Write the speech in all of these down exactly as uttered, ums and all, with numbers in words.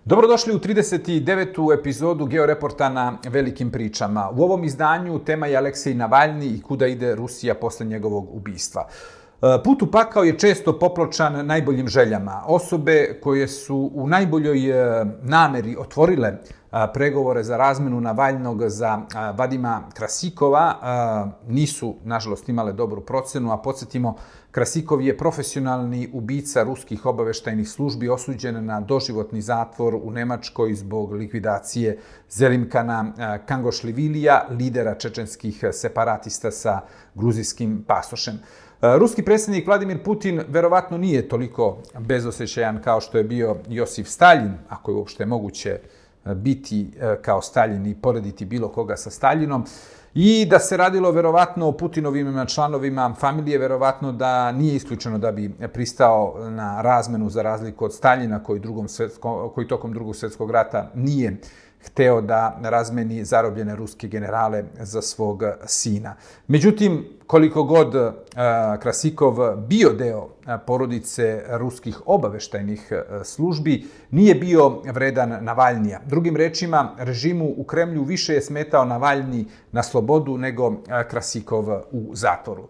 Dobrodošli u trideset devetu epizodu Georeporta na velikim pričama. U ovom izdanju tema je Aleksej Navalni i kuda ide Rusija posle njegovog ubistva. Put u pakao je često popločan najboljim željama. Osobe koje su u najboljoj nameri otvorile pregovore za razmenu Navalnog za Vadima Krasikova nisu, nažalost, imale dobru procenu, a podsjetimo, Krasikov je profesionalni ubica ruskih obaveštajnih službi osuđen na doživotni zatvor u Nemačkoj zbog likvidacije Zelimkana Kangošlivilija, lidera čečenskih separatista sa gruzijskim pasošem. Ruski predsjednik Vladimir Putin verovatno nije toliko bezosećajan kao što je bio Josif Staljin, ako je uopšte moguće biti kao Staljin i porediti bilo koga sa Staljinom, i da se radilo verovatno o Putinovim članovima familije, verovatno da nije isključeno da bi pristao na razmenu za razliku od Staljina koji, drugom svjetsko, koji tokom drugog svjetskog rata nije hteo da razmeni zarobljene ruske generale za svog sina. Međutim, koliko god uh, Krasikov bio deo porodice ruskih obaveštajnih službi, nije bio vredan Navalnija. Drugim rečima, režimu u Kremlju više je smetao Navalni na slobodu nego Krasikov u zatvoru.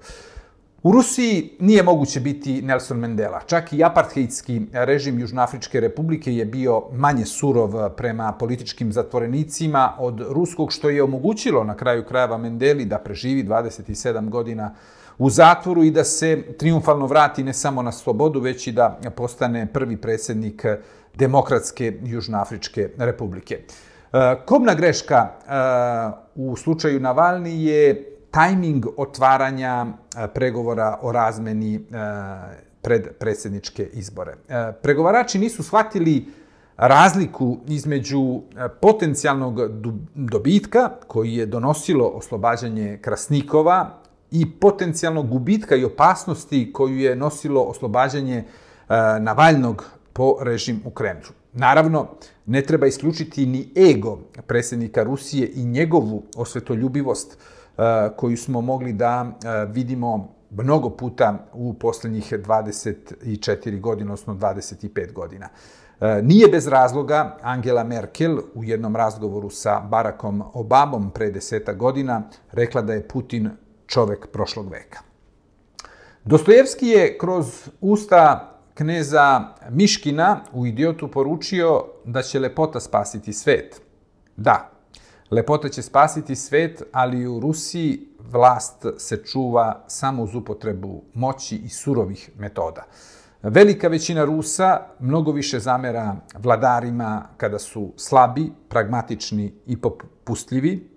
U Rusiji nije moguće biti Nelson Mandela. Čak i apartheidski režim Južnoafričke republike je bio manje surov prema političkim zatvorenicima od ruskog, što je omogućilo na kraju krajeva Mandeli da preživi dvadeset sedam godina u zatvoru i da se triumfalno vrati ne samo na slobodu, već i da postane prvi predsjednik Demokratske Južnoafričke republike. Kobna greška u slučaju Navalni je tajming otvaranja pregovora o razmeni pred predsjedničke izbore. Pregovarači nisu shvatili razliku između potencijalnog dobitka koji je donosilo oslobađanje Krasnikova i potencijalnog gubitka i opasnosti koju je nosilo oslobađanje Navalnog po režim u Kremlju. Naravno, ne treba isključiti ni ego predsjednika Rusije i njegovu osvetoljubivost koju smo mogli da vidimo mnogo puta u posljednjih dvadeset četiri godine, odnosno dvadeset pet godina. Nije bez razloga Angela Merkel u jednom razgovoru sa Barackom Obamom pre desetak godina rekla da je Putin čovek prošlog veka. Dostojevski je kroz usta kneza Miškina u Idiotu poručio da će lepota spasiti svet. Da, lepota će spasiti svet, ali u Rusiji vlast se čuva samo uz upotrebu moći i surovih metoda. Velika većina Rusa mnogo više zamera vladarima kada su slabi, pragmatični i popustljivi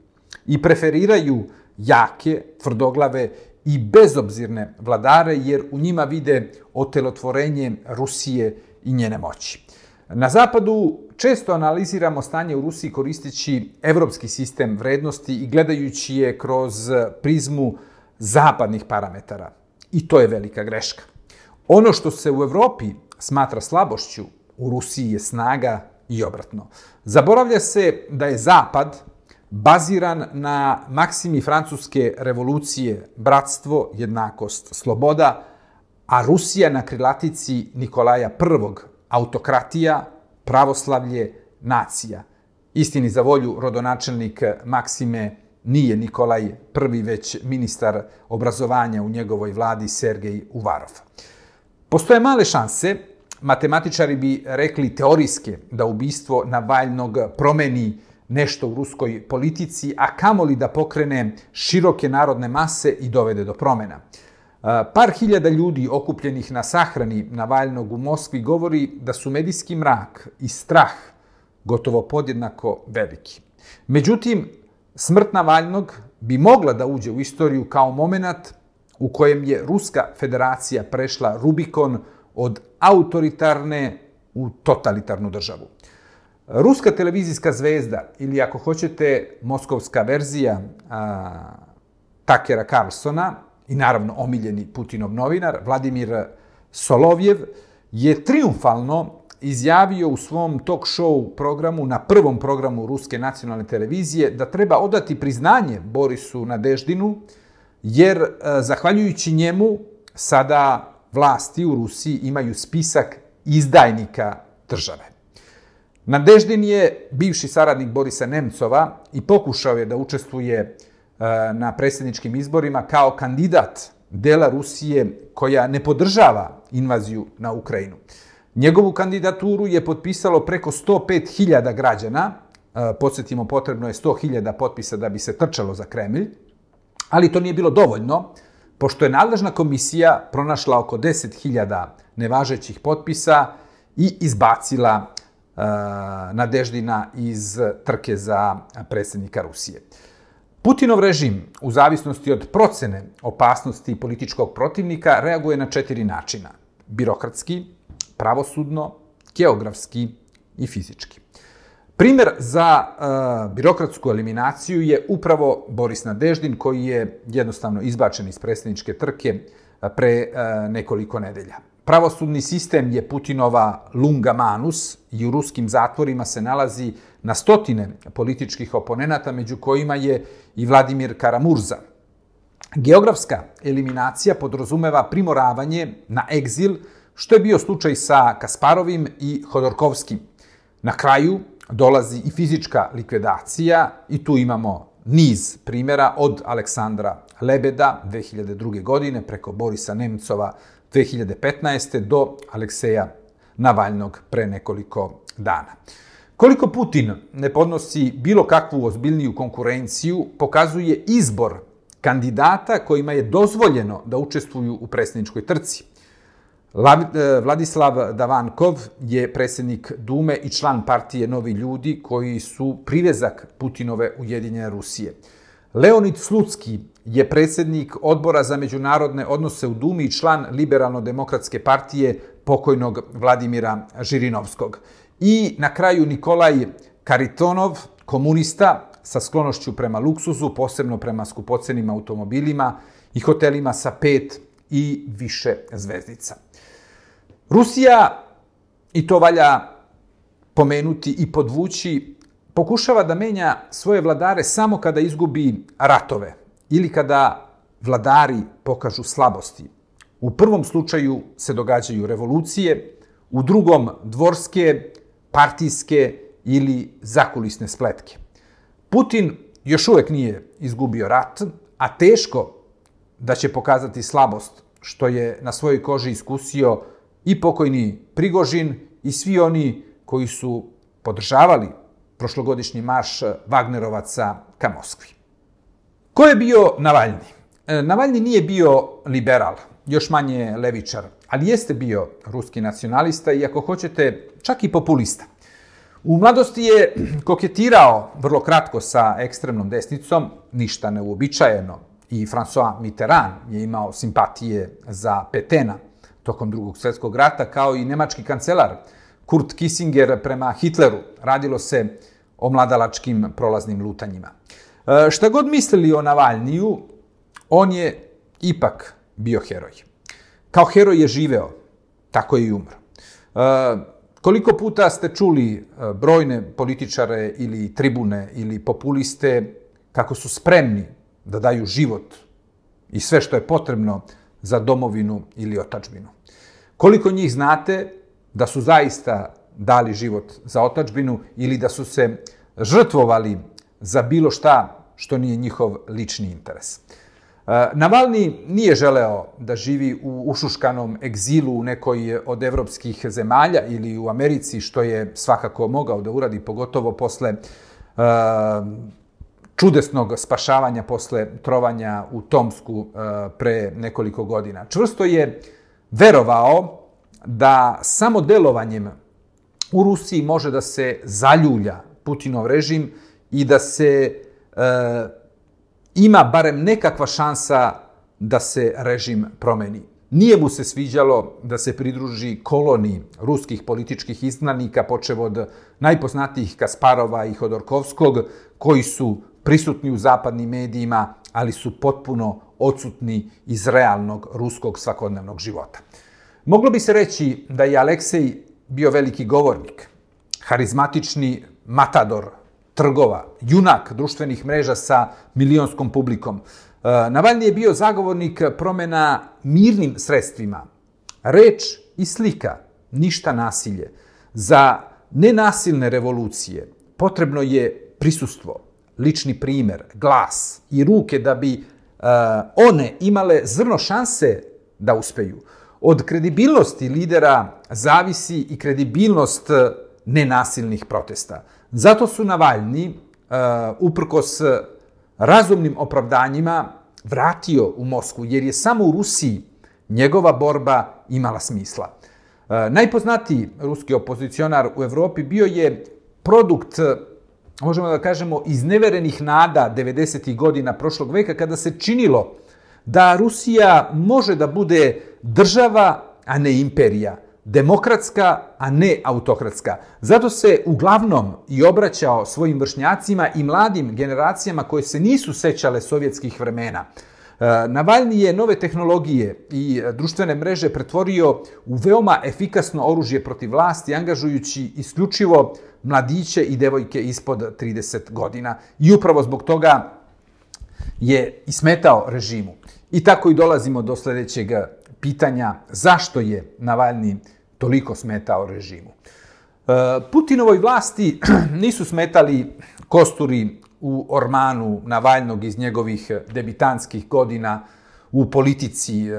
i preferiraju jake, tvrdoglave i bezobzirne vladare, jer u njima vide otelotvorenje Rusije i njene moći. Na zapadu često analiziramo stanje u Rusiji koristeći evropski sistem vrednosti i gledajući je kroz prizmu zapadnih parametara. I to je velika greška. Ono što se u Evropi smatra slabošću, u Rusiji je snaga i obratno. Zaboravlja se da je Zapad baziran na maksimi francuske revolucije bratstvo, jednakost, sloboda, a Rusija na krilatici Nikolaja Prvog autokratija, pravoslavlje, nacija. Istini za volju, rodonačelnik Maksime nije Nikolaj Prvi, već ministar obrazovanja u njegovoj vladi Sergej Uvarov. Postoje male šanse, matematičari bi rekli teorijske, da ubistvo Navalnog promeni nešto u ruskoj politici, a kamoli da pokrene široke narodne mase i dovede do promena. Par hiljada ljudi okupljenih na sahrani Navalnog u Moskvi govori da su medijski mrak i strah gotovo podjednako veliki. Međutim, smrt Navalnog bi mogla da uđe u istoriju kao moment u kojem je Ruska federacija prešla Rubikon od autoritarne u totalitarnu državu. Ruska televizijska zvezda, ili ako hoćete moskovska verzija a, Takera Carlsona, i naravno omiljeni Putinov novinar, Vladimir Solovjev, je triumfalno izjavio u svom talk show programu, na prvom programu Ruske nacionalne televizije, da treba odati priznanje Borisu Nadeždinu, jer zahvaljujući njemu sada vlasti u Rusiji imaju spisak izdajnika države. Nadeždin je bivši saradnik Borisa Nemcova i pokušao je da učestvuje na predsjedničkim izborima kao kandidat dela Rusije koja ne podržava invaziju na Ukrajinu. Njegovu kandidaturu je potpisalo preko sto pet hiljada građana, podsjetimo, potrebno je sto hiljada potpisa da bi se trčalo za Kremlj, ali to nije bilo dovoljno, pošto je nadležna komisija pronašla oko deset hiljada nevažećih potpisa i izbacila uh, Nadeždina iz trke za predsjednika Rusije. Putinov režim, u zavisnosti od procene opasnosti političkog protivnika, reaguje na četiri načina: birokratski, pravosudno, geografski i fizički. Primjer za uh, birokratsku eliminaciju je upravo Boris Nadeždin, koji je jednostavno izbačen iz predsjedničke trke pre uh, nekoliko nedelja. Pravosudni sistem je Putinova lunga manus i u ruskim zatvorima se nalazi na stotine političkih oponenata, među kojima je i Vladimir Karamurza. Geografska eliminacija podrazumeva primoravanje na egzil, što je bio slučaj sa Kasparovim i Hodorkovskim. Na kraju dolazi i fizička likvidacija i tu imamo niz primjera od Aleksandra Lebeda dve hiljade druge. godine preko Borisa Nemcova dve hiljade petnaeste. do Alekseja Navalnog pre nekoliko dana. Koliko Putin ne podnosi bilo kakvu ozbiljniju konkurenciju, pokazuje izbor kandidata kojima je dozvoljeno da učestvuju u predsjedničkoj trci. Vladislav Davankov je predsjednik Dume i član partije Novi ljudi koji su privezak Putinove Ujedinjene Rusije. Leonid Slutsky je predsjednik Odbora za međunarodne odnose u Dumi i član Liberalno-demokratske partije pokojnog Vladimira Žirinovskog. I na kraju Nikolaj Karitonov, komunista sa sklonošću prema luksuzu, posebno prema skupocenim automobilima i hotelima sa pet i više zvezdica. Rusija, i to valja pomenuti i podvući, pokušava da menja svoje vladare samo kada izgubi ratove ili kada vladari pokažu slabosti. U prvom slučaju se događaju revolucije, u drugom dvorske, partijske ili zakulisne spletke. Putin još uvek nije izgubio rat, a teško da će pokazati slabost, što je na svojoj koži iskusio i pokojni Prigožin i svi oni koji su podržavali prošlogodišnji marš Vagnerovaca ka Moskvi. Ko je bio Navalni? Navalni nije bio liberal, još manje levičar, ali jeste bio ruski nacionalista i, ako hoćete, čak i populista. U mladosti je koketirao vrlo kratko sa ekstremnom desnicom, ništa neuobičajeno, i François Mitterrand je imao simpatije za Petena tokom Drugog svjetskog rata, kao i nemački kancelar Kurt Kissinger prema Hitleru. Radilo se o mladalačkim prolaznim lutanjima. E, šta god mislili o Navalniju, on je ipak bio heroj. Kao heroj je živeo, tako je i umro. E, koliko puta ste čuli brojne političare ili tribune ili populiste kako su spremni da daju život i sve što je potrebno za domovinu ili otadžbinu? Koliko njih znate da su zaista dali život za otadžbinu ili da su se žrtvovali za bilo šta što nije njihov lični interes? Navalni nije želeo da živi u ušuškanom egzilu u nekoj od evropskih zemalja ili u Americi, što je svakako mogao da uradi, pogotovo posle uh, čudesnog spašavanja posle trovanja u Tomsku uh, pre nekoliko godina. Čvrsto je verovao da samo delovanjem u Rusiji može da se zaljulja Putinov režim i da se uh, ima barem nekakva šansa da se režim promeni. Nije mu se sviđalo da se pridruži koloniji ruskih političkih izgnanika, počev od najpoznatijih Kasparova i Hodorkovskog, koji su prisutni u zapadnim medijima, ali su potpuno odsutni iz realnog ruskog svakodnevnog života. Moglo bi se reći da je Aleksej bio veliki govornik, harizmatični matador trgova, junak društvenih mreža sa milionskom publikom. Navalni je bio zagovornik promjena mirnim sredstvima. Reč i slika, ništa nasilje. Za nenasilne revolucije potrebno je prisustvo, lični primer, glas i ruke da bi uh, one imale zrno šanse da uspeju. Od kredibilnosti lidera zavisi i kredibilnost nenasilnih protesta. Zato su Navalni, uh, uprkos razumnim opravdanjima, vratio u Moskvu, jer je samo u Rusiji njegova borba imala smisla. Uh, najpoznatiji ruski opozicionar u Evropi bio je produkt, možemo da kažemo, izneverenih nada devedesetih godina prošlog veka, kada se činilo da Rusija može da bude država, a ne imperija, demokratska, a ne autokratska. Zato se uglavnom i obraćao svojim vršnjacima i mladim generacijama koje se nisu sećale sovjetskih vremena. Navalni je nove tehnologije i društvene mreže pretvorio u veoma efikasno oružje protiv vlasti, angažujući isključivo mladiće i devojke ispod trideset godina. I upravo zbog toga je i smetao režimu. I tako i dolazimo do sljedećeg pitanja: zašto je Navalni toliko smetao režimu? Putinovoj vlasti nisu smetali kosturi u ormanu Navalnog iz njegovih debitanskih godina u politici,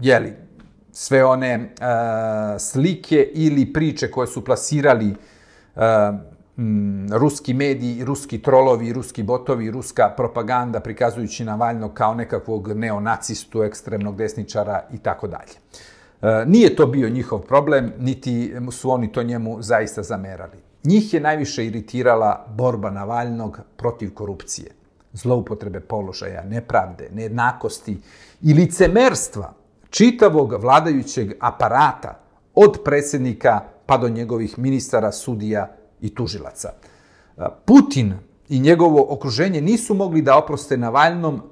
jeli, sve one slike ili priče koje su plasirali ruski mediji, ruski trolovi, ruski botovi, ruska propaganda, prikazujući Navalnog kao nekakvog neonacistu, ekstremnog desničara i tako dalje. Nije to bio njihov problem, niti su oni to njemu zaista zamerali. Njih je najviše iritirala borba Navalnog protiv korupcije, zloupotrebe položaja, nepravde, nejednakosti i licemerstva čitavog vladajućeg aparata, od predsjednika pa do njegovih ministara, sudija i tužilaca. Putin i njegovo okruženje nisu mogli da oproste Navalnom,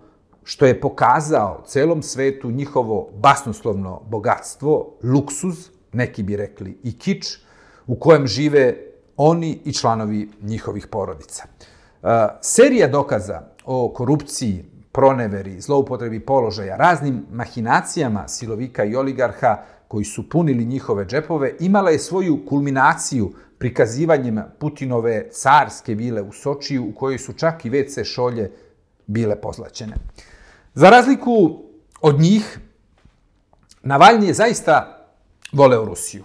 što je pokazao celom svetu njihovo basnoslovno bogatstvo, luksuz, neki bi rekli i kič, u kojem žive oni i članovi njihovih porodica. Serija dokaza o korupciji, proneveri, zloupotrebi položaja, raznim mahinacijama silovika i oligarha koji su punili njihove džepove, imala je svoju kulminaciju prikazivanjem Putinove carske vile u Sočiju, u kojoj su čak i ve ce šolje bile pozlaćene. Za razliku od njih, Navalni je zaista voleo Rusiju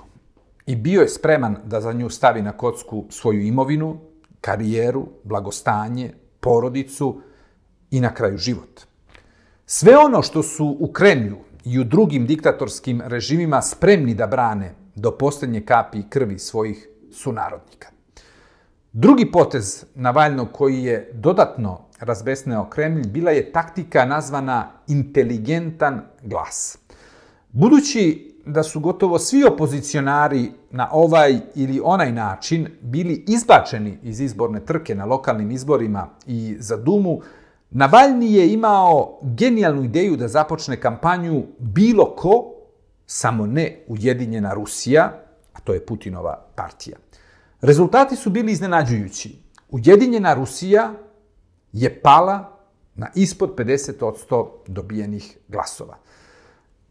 i bio je spreman da za nju stavi na kocku svoju imovinu, karijeru, blagostanje, porodicu i na kraju život. Sve ono što su u Kremlju i u drugim diktatorskim režimima spremni da brane do posljednje kapi krvi svojih sunarodnika. Drugi potez Navalnog koji je dodatno razbesneo Kremlj bila je taktika nazvana inteligentan glas. Budući da su gotovo svi opozicionari na ovaj ili onaj način bili izbačeni iz izborne trke na lokalnim izborima i za Dumu, Navalni je imao genijalnu ideju da započne kampanju bilo ko, samo ne Ujedinjena Rusija, a to je Putinova partija. Rezultati su bili iznenađujući. Ujedinjena Rusija je pala na ispod pedeset posto dobijenih glasova.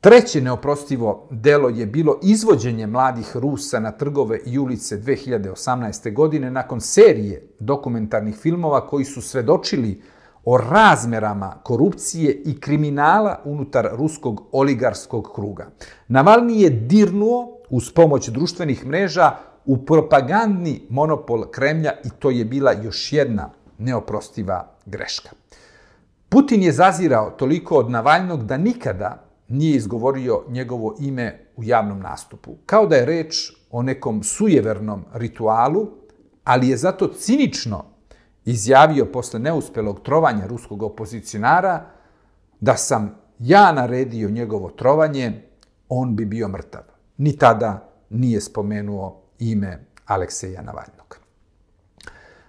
Treće neoprostivo delo je bilo izvođenje mladih Rusa na trgove i ulice dve hiljade osamnaeste. godine nakon serije dokumentarnih filmova koji su svedočili o razmerama korupcije i kriminala unutar ruskog oligarskog kruga. Navalni je dirnuo uz pomoć društvenih mreža u propagandni monopol Kremlja i to je bila još jedna neoprostiva greška. Putin je zazirao toliko od Navalnog da nikada nije izgovorio njegovo ime u javnom nastupu. Kao da je reč o nekom sujevernom ritualu, ali je zato cinično izjavio posle neuspelog trovanja ruskog opozicionara da sam ja naredio njegovo trovanje, on bi bio mrtav. Ni tada nije spomenuo ime Alekseja Navalnog.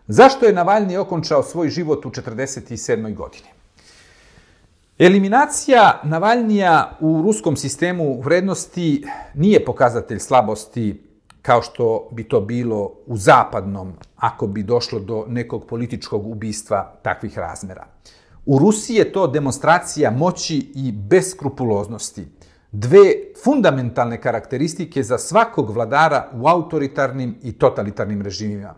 Zašto je Navalni okončao svoj život u četrdeset sedmoj. godini? Eliminacija Navalnija u ruskom sistemu vrednosti nije pokazatelj slabosti kao što bi to bilo u zapadnom, ako bi došlo do nekog političkog ubistva takvih razmera. U Rusiji je to demonstracija moći i beskrupuloznosti. Dve fundamentalne karakteristike za svakog vladara u autoritarnim i totalitarnim režimima.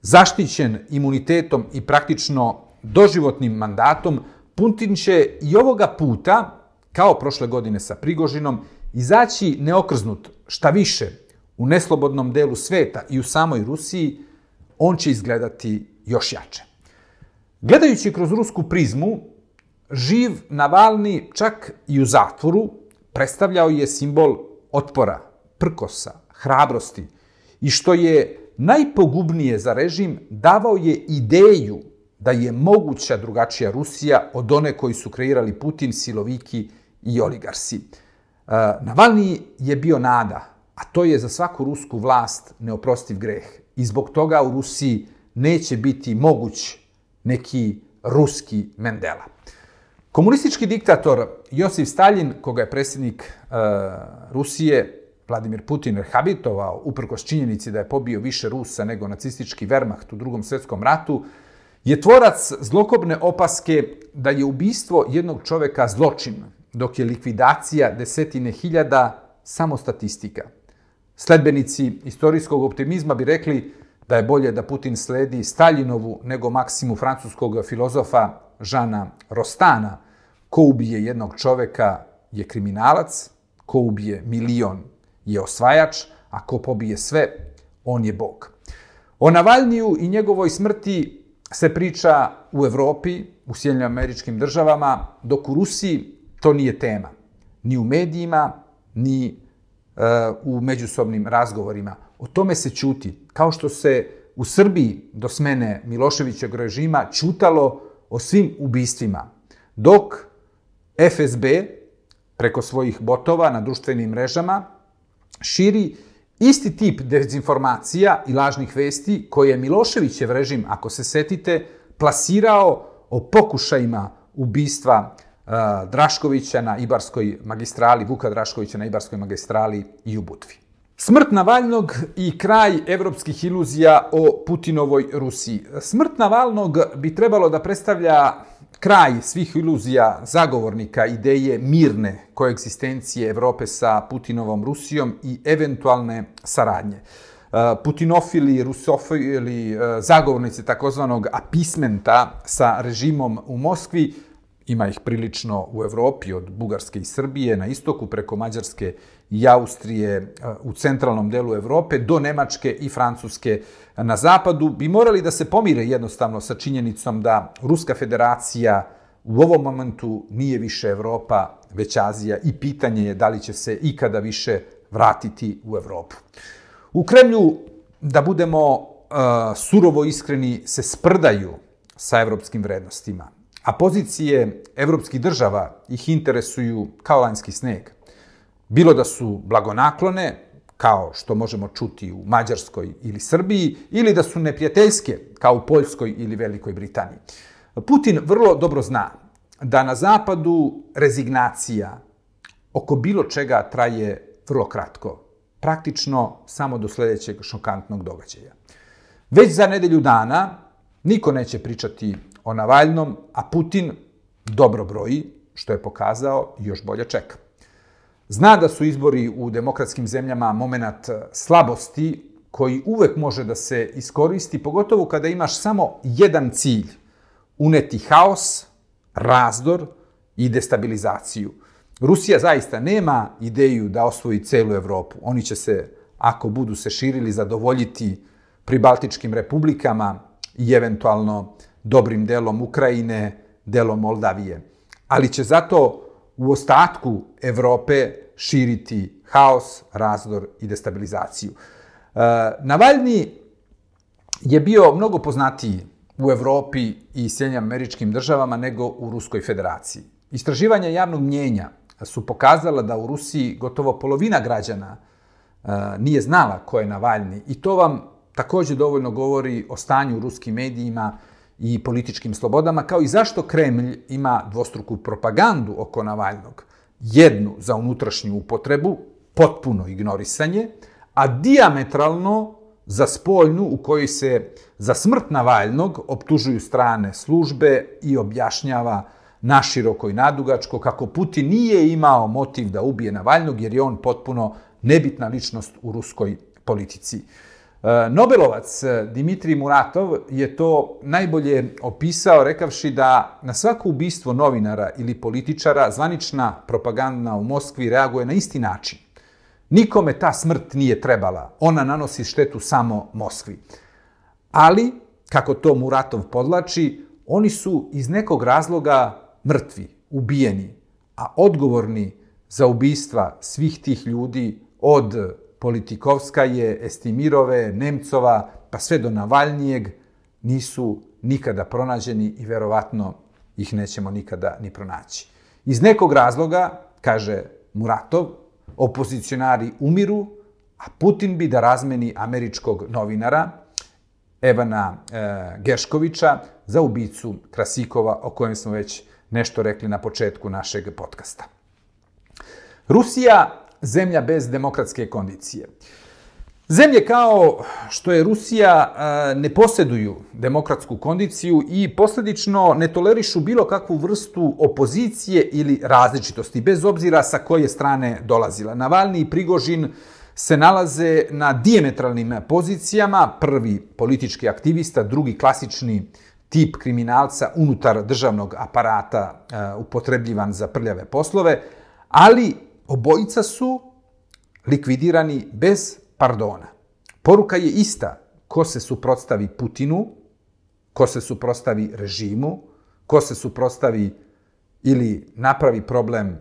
Zaštićen imunitetom i praktično doživotnim mandatom, Putin će i ovoga puta, kao prošle godine sa Prigožinom, izaći neokrznut, šta više, u neslobodnom delu sveta i u samoj Rusiji, on će izgledati još jače. Gledajući kroz rusku prizmu, živ Navalni čak i u zatvoru predstavljao je simbol otpora, prkosa, hrabrosti i što je najpogubnije za režim, davao je ideju da je moguća drugačija Rusija od one koji su kreirali Putin, siloviki i oligarsi. Navalni je bio nada, a to je za svaku rusku vlast neoprostiv greh. I zbog toga u Rusiji neće biti moguć neki ruski Mendela. Komunistički diktator Josif Staljin, koga je predsjednik e, Rusije Vladimir Putin rehabilitovao uprkos činjenici da je pobio više Rusa nego nacistički Wehrmacht u Drugom svjetskom ratu, je tvorac zlokobne opaske da je ubistvo jednog čoveka zločin, dok je likvidacija desetine hiljada samo statistika. Sledbenici istorijskog optimizma bi rekli da je bolje da Putin sledi Staljinovu nego maksimu francuskog filozofa Žana Rostana: ko ubije jednog čoveka je kriminalac, ko ubije milion je osvajač, a ko pobije sve, on je Bog. O Navalniju i njegovoj smrti se priča u Evropi, u Sjedinjenim Američkim Državama, dok u Rusiji to nije tema. Ni u medijima, ni uh, u međusobnim razgovorima. O tome se ćuti, kao što se u Srbiji do smene Miloševićevog režima ćutalo o svim ubistvima, dok F S B preko svojih botova na društvenim mrežama širi isti tip dezinformacija i lažnih vesti koje je Miloševićev režim, ako se setite, plasirao o pokušajima ubistva uh, Draškovića na Ibarskoj magistrali, Vuka Draškovića na Ibarskoj magistrali i u Budvi. Smrt Navalnog i kraj evropskih iluzija o Putinovoj Rusiji. Smrt Navalnog bi trebalo da predstavlja kraj svih iluzija zagovornika ideje mirne koegzistencije Evrope sa Putinovom Rusijom i eventualne saradnje. Putinofili, rusofili, zagovornici takozvanog apismenta sa režimom u Moskvi, ima ih prilično u Evropi, od Bugarske i Srbije na istoku, preko Mađarske i Austrije u centralnom delu Evrope, do Nemačke i Francuske na zapadu, bi morali da se pomire jednostavno sa činjenicom da Ruska federacija u ovom momentu nije više Evropa, već Azija, i pitanje je da li će se ikada više vratiti u Evropu. U Kremlju, da budemo uh, surovo iskreni, se sprdaju sa evropskim vrednostima, a pozicije evropskih država ih interesuju kao lanjski sneg. Bilo da su blagonaklone, kao što možemo čuti u Mađarskoj ili Srbiji, ili da su neprijateljske, kao u Poljskoj ili Velikoj Britaniji. Putin vrlo dobro zna da na zapadu rezignacija oko bilo čega traje vrlo kratko, praktično samo do sljedećeg šokantnog događaja. Već za nedelju dana niko neće pričati o Navalnom, a Putin dobro broji, što je pokazao, i još bolje čeka. Zna da su izbori u demokratskim zemljama moment slabosti koji uvek može da se iskoristi, pogotovo kada imaš samo jedan cilj: uneti haos, razdor i destabilizaciju. Rusija zaista nema ideju da osvoji celu Evropu. Oni će se, ako budu se širili, zadovoljiti pribaltičkim republikama i eventualno dobrim delom Ukrajine, delom Moldavije. Ali će zato u ostatku Evrope širiti haos, razdor i destabilizaciju. E, Navalni je bio mnogo poznatiji u Evropi i Sjedinjenim Američkim Državama nego u Ruskoj federaciji. Istraživanja javnog mnjenja su pokazala da u Rusiji gotovo polovina građana e, nije znala ko je Navalni, i to vam također dovoljno govori o stanju u ruskim medijima i političkim slobodama, kao i zašto Kremlj ima dvostruku propagandu oko Navalnog. Jednu za unutrašnju upotrebu, potpuno ignorisanje, a dijametralno za spoljnu, u kojoj se za smrt Navalnog optužuju strane službe i objašnjava naširoko i nadugačko, kako Putin nije imao motiv da ubije Navalnog, jer je on potpuno nebitna ličnost u ruskoj politici. Nobelovac Dimitrij Muratov je to najbolje opisao rekavši da na svako ubistvo novinara ili političara zvanična propaganda u Moskvi reaguje na isti način. Nikome ta smrt nije trebala, ona nanosi štetu samo Moskvi. Ali, kako to Muratov podlači, oni su iz nekog razloga mrtvi, ubijeni, a odgovorni za ubistva svih tih ljudi od Politikovskaje, Estimirove, Nemcova, pa sve do Navalnijeg, nisu nikada pronađeni i verovatno ih nećemo nikada ni pronaći. Iz nekog razloga, kaže Muratov, opozicionari umiru, a Putin bi da razmeni američkog novinara Evana e, Gerškovića za ubicu Krasikova, o kojem smo već nešto rekli na početku našeg podcasta. Rusija, zemlja bez demokratske kondicije. Zemlje kao što je Rusija ne posjeduju demokratsku kondiciju i posljedično ne tolerišu bilo kakvu vrstu opozicije ili različitosti, bez obzira sa koje strane dolazila. Navalni i Prigožin se nalaze na dijametralnim pozicijama, prvi politički aktivista, drugi klasični tip kriminalca unutar državnog aparata upotrebljivan za prljave poslove, ali obojica su likvidirani bez pardona. Poruka je ista: ko se suprotstavi Putinu, ko se suprotstavi režimu, ko se suprotstavi ili napravi problem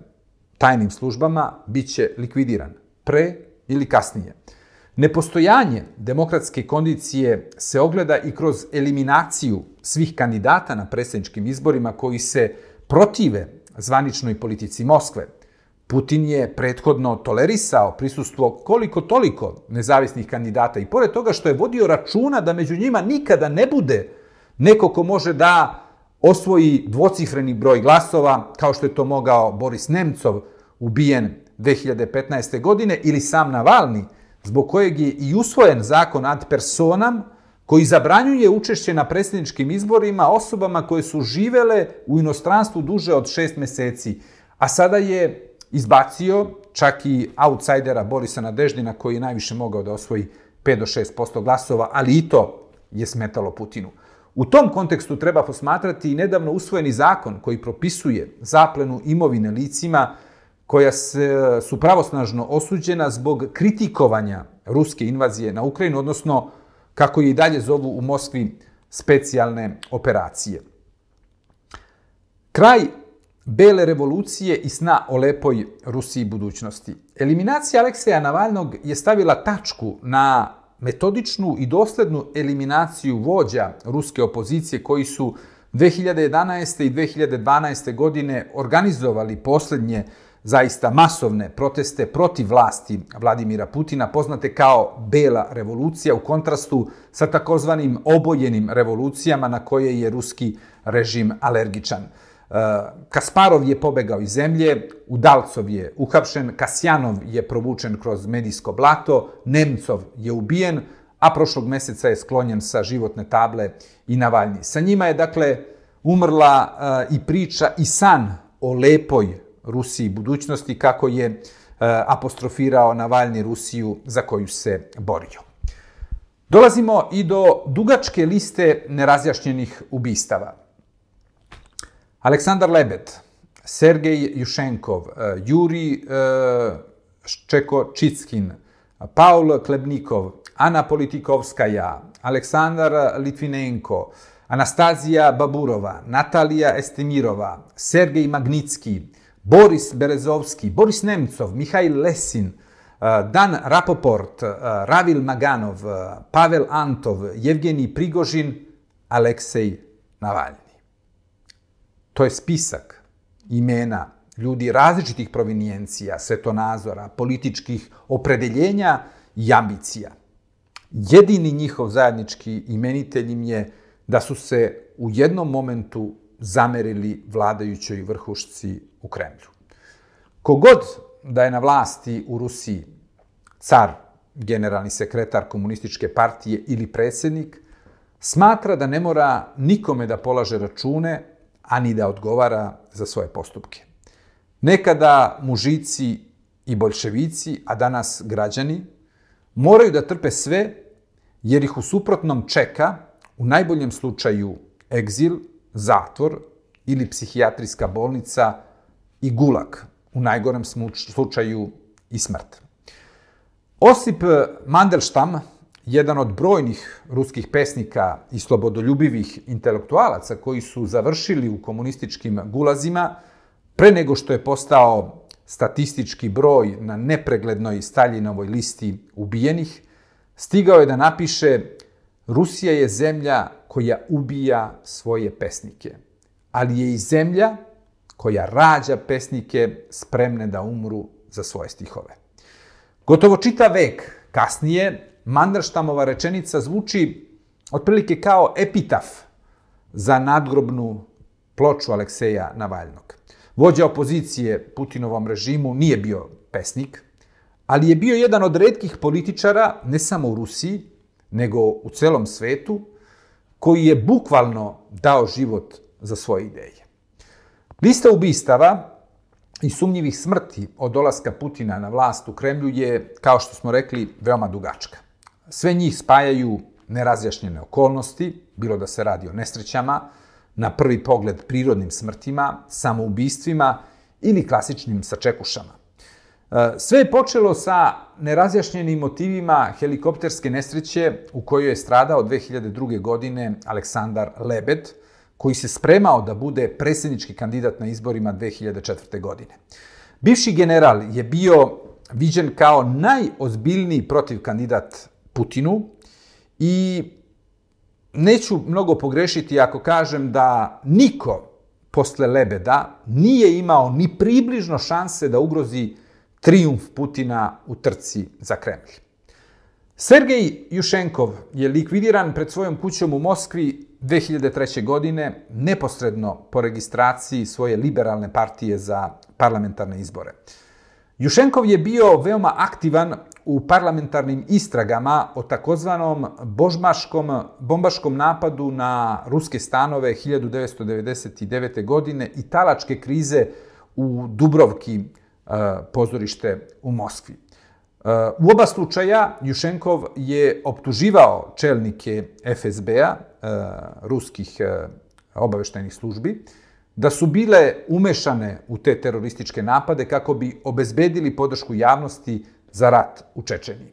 tajnim službama, bit će likvidiran, pre ili kasnije. Nepostojanje demokratske kondicije se ogleda i kroz eliminaciju svih kandidata na predsjedničkim izborima koji se protive zvaničnoj politici Moskve. Putin je prethodno tolerisao prisustvo koliko toliko nezavisnih kandidata i pored toga što je vodio računa da među njima nikada ne bude neko ko može da osvoji dvocifreni broj glasova, kao što je to mogao Boris Nemcov, ubijen dve hiljade petnaeste. godine, ili sam Navalni, zbog kojeg je i usvojen zakon ad personam, koji zabranjuje učešće na predsjedničkim izborima osobama koje su živele u inostranstvu duže od šest meseci, a sada je izbacio čak i outsidera Borisa Nadeždina, koji je najviše mogao da osvoji pet do šest posto glasova, ali i to je smetalo Putinu. U tom kontekstu treba posmatrati i nedavno usvojeni zakon koji propisuje zaplenu imovine licima koja su pravosnažno osuđena zbog kritikovanja ruske invazije na Ukrajinu, odnosno, kako je i dalje zovu u Moskvi, specijalne operacije. Kraj bele revolucije i sna o lepoj Rusiji budućnosti. Eliminacija Alekseja Navalnog je stavila tačku na metodičnu i doslednu eliminaciju vođa ruske opozicije koji su dve hiljade jedanaeste. i dve hiljade dvanaeste. godine organizovali posljednje zaista masovne proteste protiv vlasti Vladimira Putina, poznate kao Bela revolucija, u kontrastu sa takozvanim obojenim revolucijama na koje je ruski režim alergičan. Kasparov je pobegao iz zemlje, Udalcov je uhapšen, Kasjanov je provučen kroz medijsko blato, Nemcov je ubijen, a prošlog meseca je sklonjen sa životne table i Navalni. Sa njima je, dakle, umrla i priča i san o lepoj Rusiji budućnosti, kako je apostrofirao Navalni Rusiju za koju se borio. Dolazimo i do dugačke liste nerazjašnjenih ubistava. Aleksandar Lebed, Sergej Jušenkov, Juri Ščekočickin, Paul Klebnikov, Ana Politikovskaja, Aleksandar Litvinenko, Anastazija Baburova, Natalija Estimirova, Sergej Magnitski, Boris Berezovski, Boris Nemcov, Mihajl Lesin, Dan Rapoport, Ravil Maganov, Pavel Antov, Jevgenij Prigožin, Aleksej Navalni. To je spisak imena ljudi različitih provinijencija, svetonazora, političkih opredeljenja i ambicija. Jedini njihov zajednički imenitelj im je da su se u jednom momentu zamerili vladajućoj vrhušci u Kremlju. Kogod da je na vlasti u Rusiji car, generalni sekretar komunističke partije ili predsjednik, smatra da ne mora nikome da polaže račune, a ni da odgovara za svoje postupke. Nekada mužici i boljševici, a danas građani, moraju da trpe sve jer ih u suprotnom čeka, u najboljem slučaju, egzil, zatvor ili psihijatrijska bolnica i gulag, u najgorem slučaju i smrt. Osip Mandelstam, jedan od brojnih ruskih pesnika i slobodoljubivih intelektualaca koji su završili u komunističkim gulazima, pre nego što je postao statistički broj na nepreglednoj Staljinovoj listi ubijenih, stigao je da napiše: Rusija je zemlja koja ubija svoje pesnike, ali je i zemlja koja rađa pesnike spremne da umru za svoje stihove. Gotovo čitav vek kasnije, Mandelstamova rečenica zvuči otprilike kao epitaf za nadgrobnu ploču Alekseja Navalnog. Vođa opozicije Putinovom režimu nije bio pesnik, ali je bio jedan od retkih političara, ne samo u Rusiji, nego u celom svetu, koji je bukvalno dao život za svoje ideje. Lista ubistava i sumnjivih smrti od dolaska Putina na vlast u Kremlju je, kao što smo rekli, veoma dugačka. Sve njih spajaju nerazjašnjene okolnosti, bilo da se radi o nesrećama, na prvi pogled prirodnim smrtima, samoubistvima ili klasičnim sačekušama. Sve je počelo sa nerazjašnjenim motivima helikopterske nesreće u kojoj je stradao dve hiljade druge. godine Aleksandar Lebed, koji se spremao da bude predsjednički kandidat na izborima dve hiljade četvrte. godine. Bivši general je bio viđen kao najozbiljniji protivkandidat Putinu i neću mnogo pogrešiti ako kažem da niko posle Lebeda nije imao ni približno šanse da ugrozi trijumf Putina u trci za Kremlj. Sergej Jušenkov je likvidiran pred svojom kućom u Moskvi dve hiljade treće. godine, neposredno po registraciji svoje liberalne partije za parlamentarne izbore. Jušenkov je bio veoma aktivan u parlamentarnim istragama o takozvanom bombaškom napadu na ruske stanove hiljadu devetsto devedeset devete. godine i talačke krize u Dubrovki, pozorište u Moskvi. U oba slučaja Jušenkov je optuživao čelnike F S B-a, ruskih obaveštajnih službi, da su bile umešane u te terorističke napade kako bi obezbedili podršku javnosti za rat u Čečeniji.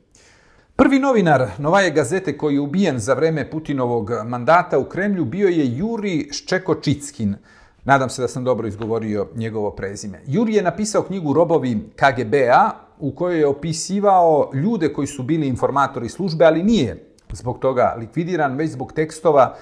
Prvi novinar Novaje gazete koji je ubijen za vreme Putinovog mandata u Kremlju bio je Juri Ščekočickin. Nadam se da sam dobro izgovorio njegovo prezime. Juri je napisao knjigu Robovi K G B-a u kojoj je opisivao ljude koji su bili informatori službe, ali nije zbog toga likvidiran, već zbog tekstova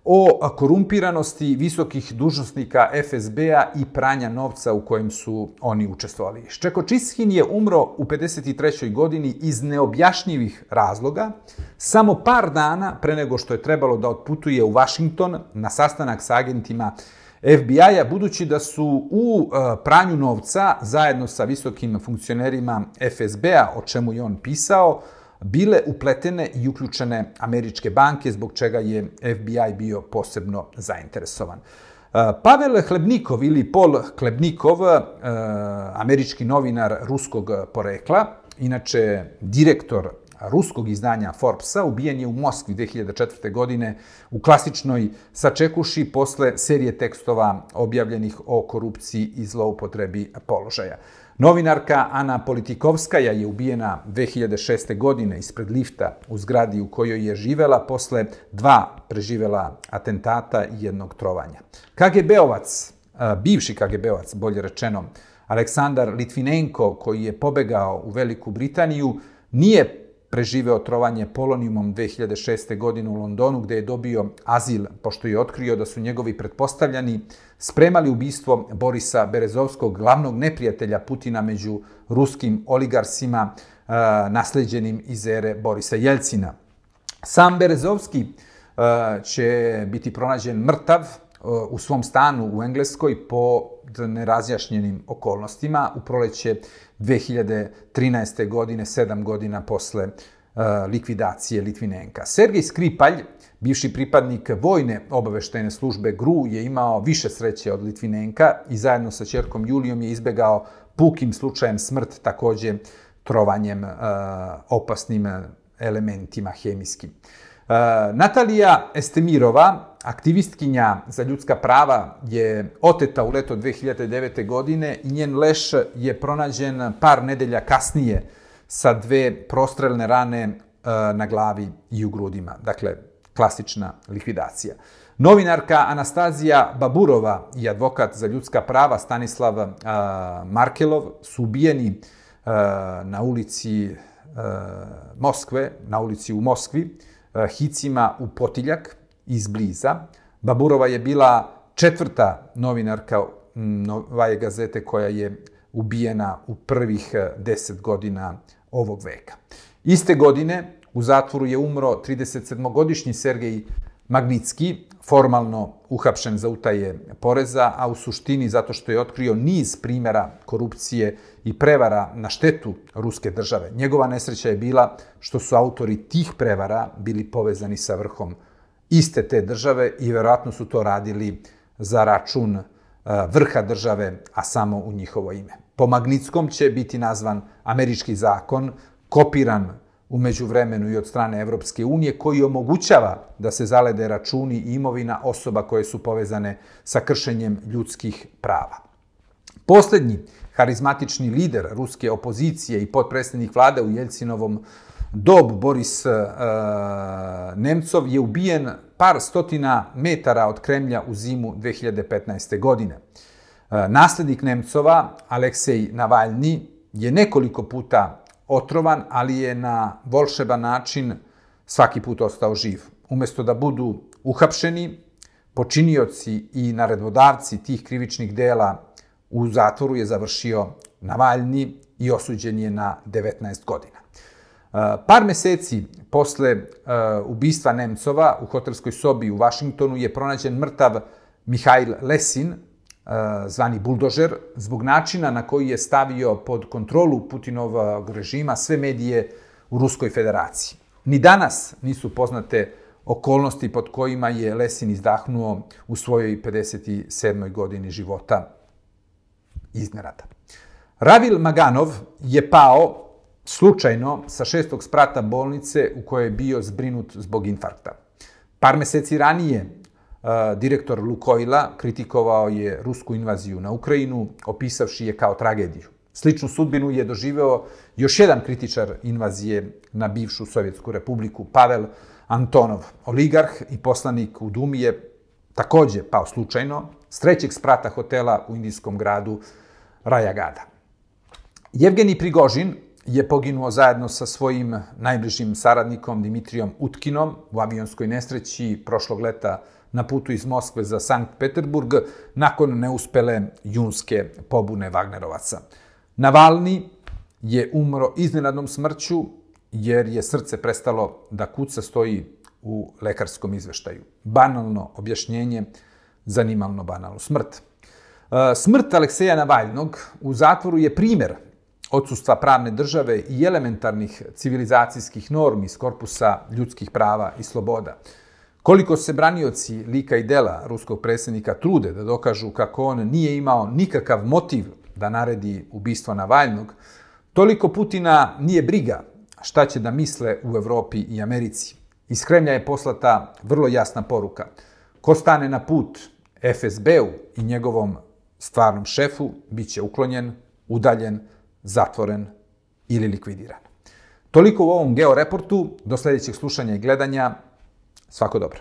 o korumpiranosti visokih dužnosnika F S B-a i pranja novca u kojem su oni učestvovali. Ščekočickin je umro u pedeset trećoj. godini iz neobjašnjivih razloga, samo par dana pre nego što je trebalo da otputuje u Vašington na sastanak sa agentima F B I-a, budući da su u pranju novca zajedno sa visokim funkcionerima F S B-a, o čemu je on pisao, bile upletene i uključene američke banke, zbog čega je F B I bio posebno zainteresovan. Pavel Hlebnikov ili Pol Hlebnikov, američki novinar ruskog porekla, inače direktor ruskog izdanja Forbesa, ubijen je u Moskvi dve hiljade četvrte. godine u klasičnoj sačekuši posle serije tekstova objavljenih o korupciji i zloupotrebi položaja. Novinarka Ana Politikovskaja je ubijena dve hiljade šeste. godine ispred lifta u zgradi u kojoj je živela posle dva preživela atentata i jednog trovanja. K G B-ovac, bivši K G B-ovac, bolje rečeno, Aleksandar Litvinenko, koji je pobegao u Veliku Britaniju, nije preživeo trovanje polonijumom dve hiljade šeste. godine u Londonu, gde je dobio azil, pošto je otkrio da su njegovi pretpostavljani spremali ubistvo Borisa Berezovskog, glavnog neprijatelja Putina među ruskim oligarsima, nasleđenim iz ere Borisa Jeljcina. Sam Berezovski će biti pronađen mrtav u svom stanu u Engleskoj po nerazjašnjenim okolnostima u proleće dve hiljade trinaeste. godine, sedam godina posle likvidacije Litvinenka. Sergej Skripalj, bivši pripadnik vojne obaveštajne službe G R U, je imao više sreće od Litvinenka i zajedno sa ćerkom Julijom je izbegao pukim slučajem smrt, takođe trovanjem opasnim elementima hemijskim. Natalija Estemirova, aktivistkinja za ljudska prava, je oteta u leto dve hiljade devete. godine i njen leš je pronađen par nedelja kasnije sa dve prostrelne rane na glavi i u grudima. Dakle, klasična likvidacija. Novinarka Anastazija Baburova i advokat za ljudska prava Stanislav Markelov su ubijeni na ulici Moskve, na ulici u Moskvi, hicima u potiljak izbliza. Baburova je bila četvrta novinarka Novaje gazete koja je ubijena u prvih deset godina ovog veka. Iste godine u zatvoru je umro tridesetsedmogodišnji Sergej Magnitski, formalno uhapšen za utaje poreza, a u suštini zato što je otkrio niz primjera korupcije i prevara na štetu ruske države. Njegova nesreća je bila što su autori tih prevara bili povezani sa vrhom iste te države i verovatno su to radili za račun vrha države, a samo u njihovo ime. Po Magnitskom će biti nazvan američki zakon, kopiran u međuvremenu i od strane Evropske unije, koji omogućava da se zalede računi i imovina osoba koje su povezane sa kršenjem ljudskih prava. Poslednji harizmatični lider ruske opozicije i potpredsjednik vlade u Jeljcinovom dobu, Boris e, Nemcov, je ubijen par stotina metara od Kremlja u zimu dve hiljade petnaeste. godine. E, naslednik Nemcova, Aleksej Navalni, je nekoliko puta otrovan, ali je na volšeban način svaki put ostao živ. Umesto da budu uhapšeni, počinioci i naredbodavci tih krivičnih dela u zatvoru je završio Navalni i osuđen je na devetnaest godina. Par meseci posle ubistva Nemcova u hotelskoj sobi u Vašingtonu je pronađen mrtav Mihail Lesin, zvani Buldožer, zbog načina na koji je stavio pod kontrolu Putinovog režima sve medije u Ruskoj federaciji. Ni danas nisu poznate okolnosti pod kojima je Lesin izdahnuo u svojoj pedeset sedmoj godini života iznenada. Ravil Maganov je pao slučajno sa šestog sprata bolnice u kojoj je bio zbrinut zbog infarkta. Par meseci ranije direktor Lukoila kritikovao je rusku invaziju na Ukrajinu, opisavši je kao tragediju. Sličnu sudbinu je doživeo još jedan kritičar invazije na bivšu Sovjetsku republiku, Pavel Antonov. Oligarh i poslanik u Dumi je takođe pao slučajno s trećeg sprata hotela u indijskom gradu Rajagada. Jevgenij Prigožin je poginuo zajedno sa svojim najbližim saradnikom Dimitrijom Utkinom u avionskoj nesreći prošlog leta na putu iz Moskve za Sankt Peterburg nakon neuspele junske pobune Vagnerovaca. Navalni je umro iznenadnom smrću jer je srce prestalo da kuca, stoji u lekarskom izveštaju. Banalno objašnjenje, zanimalno banalno. Smrt. Smrt Alekseja Navalnog u zatvoru je primer odsustva pravne države i elementarnih civilizacijskih normi iz korpusa ljudskih prava i sloboda. Koliko se branioci lika i dela ruskog predsjednika trude da dokažu kako on nije imao nikakav motiv da naredi ubistvo Navalnog, toliko Putina nije briga šta će da misle u Evropi i Americi. Iz Kremlja je poslata vrlo jasna poruka. Ko stane na put F S B-u i njegovom stvarnom šefu, bit će uklonjen, udaljen, zatvoren ili likvidiran. Toliko u ovom Georeportu. Do sljedećeg slušanja i gledanja. Svako dobro.